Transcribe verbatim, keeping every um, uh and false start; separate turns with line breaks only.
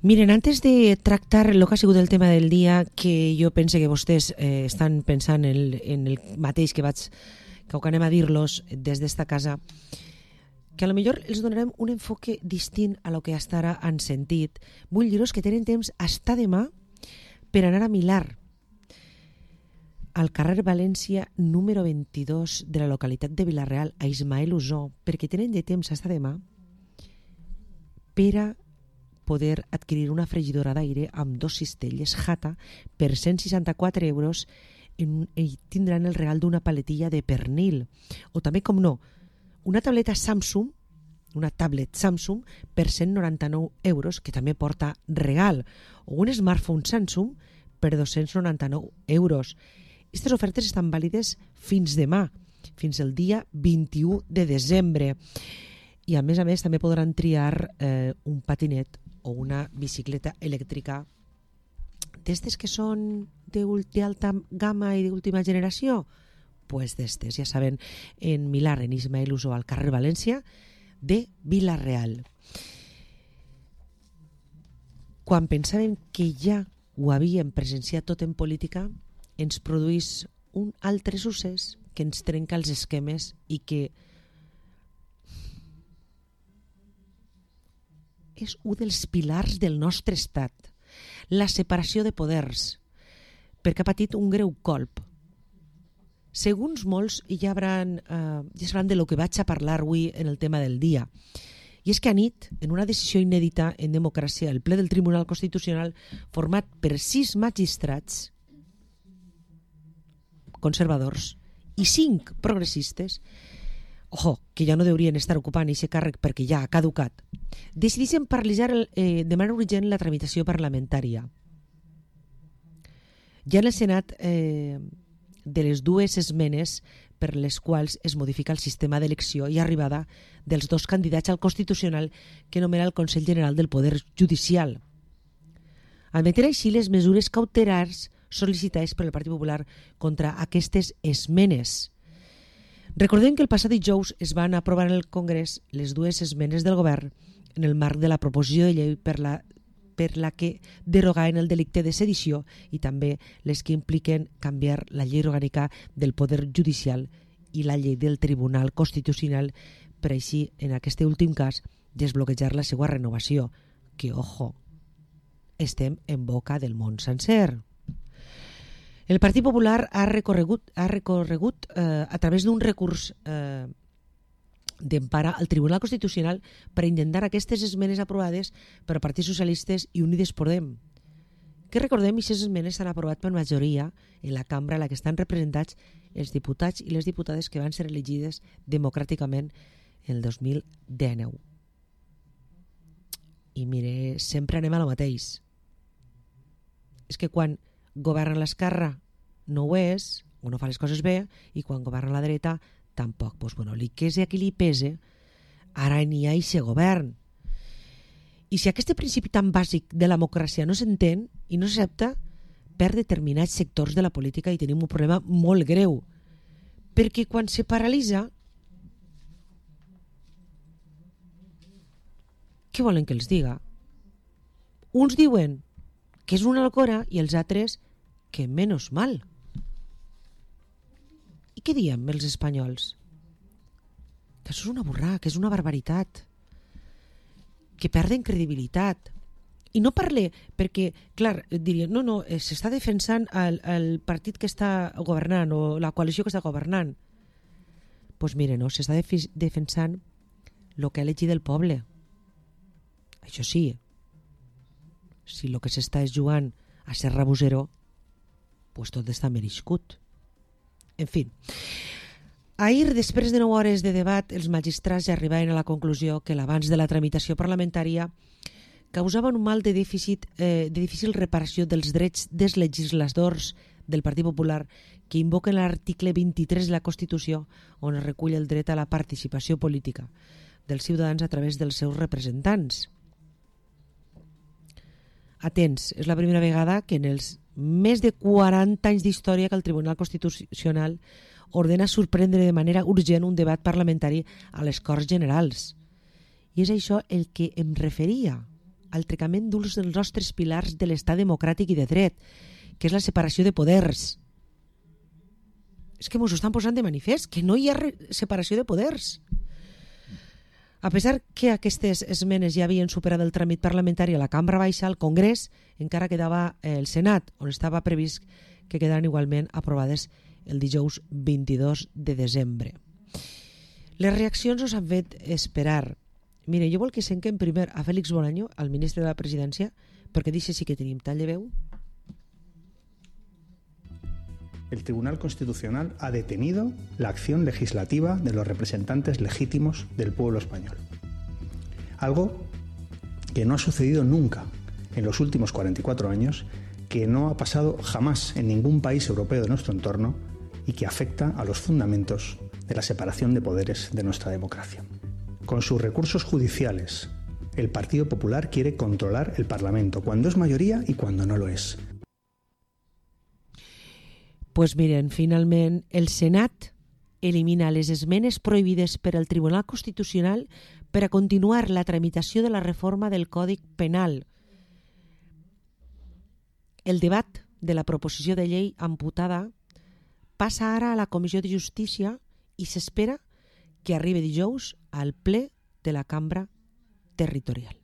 Miren, antes de tractar el que ha sigut el tema del dia, que jo pense que vostès eh, estan pensant en el, en el mateix que vaig que anem a dir-los des d'esta casa, que a lo millor els donarem un enfoque distint a lo que hasta ara han sentit. Vull dir-vos que tenen temps hasta demà per anar a Milar, al carrer València número vint-i-dos de la localitat de Vila-real, a Ismael Usó, perquè tenen de temps hasta demà per a poder adquirir una fregidora d'aire amb dos cistelles Jata per cent seixanta-quatre euros en, i tindran el regal d'una paletilla de pernil. O també, com no, una tableta Samsung, una tablet Samsung per cent noranta-nou euros, que també porta regal. O un smartphone Samsung per dos-cents noranta-nou euros. Aquestes ofertes estan vàlides fins demà, fins el dia vint-i-u de desembre. I a més a més també podran triar eh, un patinet o una bicicleta elèctrica d'estes que són d'alta gamma i d'última generació. Pues d'estes, ja saben, en Milar, en Ismael Usó, al carrer València de Vila-real. Quan pensàvem que ja ho havíem presenciat tot en política, ens produís un altre succés que ens trenca els esquemes i que és un dels pilars del nostre estat, la separació de poders, perquè ha patit un greu colp. Segons molts, ja, hauran, eh, ja sabran de lo que vaig a parlar avui en el tema del dia. I és que anit, en una decisió inèdita en democràcia, el ple del Tribunal Constitucional, format per sis magistrats conservadors i cinc progressistes, ojo, que ja no deurien estar ocupant aquest càrrec perquè ja ha caducat, decideixen paralitzar eh, de manera urgent la tramitació parlamentària. Ja en el Senat, eh, de les dues esmenes per les quals es modifica el sistema d'elecció i arribada dels dos candidats al Constitucional que nomena el Consell General del Poder Judicial. Admetent així les mesures cautelars sol·licitades per el Partit Popular contra aquestes esmenes. Recordem que el passat dijous es van aprovar en el Congrés les dues esmenes del govern en el marc de la proposició de llei per la, per la que derogaven el delicte de sedició i també les que impliquen canviar la llei orgànica del Poder Judicial i la llei del Tribunal Constitucional per així, en aquest últim cas, desbloquejar la seva renovació, que, ojo, estem en boca del món sencer. El Partit Popular ha recorregut, ha recorregut eh, a través d'un recurs eh, d'empara al Tribunal Constitucional per intentar aquestes esmenes aprovades per partits socialistes i Unides Podem. Que recordem, aquestes esmenes s'han aprovat per majoria en la cambra en la que estan representats els diputats i les diputades que van ser elegides democràticament el dos mil dinou. I mire, sempre anem a lo mateix. És que quan governa l'esquerra no ho és, o no fa les coses bé, i quan governa la dreta tampoc. Pues bueno, li quese a qui li pese, ara n'hi ha aquest govern. I si aquest principi tan bàsic de la democràcia no s'entén i no s'accepta per determinats sectors de la política, i tenim un problema molt greu, perquè quan se paralitza, què volen que els diga? Uns diuen que és una locura i els altres que menos mal. I què diem els espanyols? Que això és una burrada, que és una barbaritat, que perden credibilitat. I no parle perquè, clar, diria, no, no, s'està defensant el, el partit que està governant o la coalició que està governant. Doncs pues mire, no, s'està defi- defensant el que ha elegit el poble. Això sí, si el que s'està és jugant a ser rabosero, pues tot està merescut. En fi, ahir, després de nou hores de debat, els magistrats ja arribaven a la conclusió que l'avanç de la tramitació parlamentària causava un mal de dèficit, eh, de difícil reparació dels drets dels legisladors del Partit Popular que invoquen l'article vint-i-tres de la Constitució, on es recull el dret a la participació política dels ciutadans a través dels seus representants. Atents, és la primera vegada que en els més de quaranta anys d'història que el Tribunal Constitucional ordena sorprendre de manera urgent un debat parlamentari a les Corts Generals. I és això el que em referia al trencament d'un dels nostres pilars de l'estat democràtic i de dret, que és la separació de poders. És que mos ho estan posant de manifest, que no hi ha separació de poders. A pesar que aquestes esmenes ja havien superat el tràmit parlamentari a la Cambra Baixa, al Congrés encara quedava el Senat, on estava previst que quedaran igualment aprovades el dijous vint-i-dos de desembre. Les reaccions ens han fet esperar. Mire, jo vol que senquem primer a Félix Bolaño, al ministre de la Presidència, perquè dice sí que tenim tall de veu.
El Tribunal Constitucional ha detenido la acción legislativa de los representantes legítimos del pueblo español. Algo que no ha sucedido nunca en los últimos cuarenta y cuatro años, que no ha pasado jamás en ningún país europeo de nuestro entorno y que afecta a los fundamentos de la separación de poderes de nuestra democracia. Con sus recursos judiciales, el Partido Popular quiere controlar el Parlamento, cuando es mayoría y cuando no lo es.
Pues miren, finalment, el Senat elimina les esmenes prohibides per al Tribunal Constitucional per a continuar la tramitació de la reforma del Codi Penal. El debat de la proposició de llei amputada passa ara a la Comissió de Justícia i s'espera que arribi dijous al ple de la Cambra Territorial.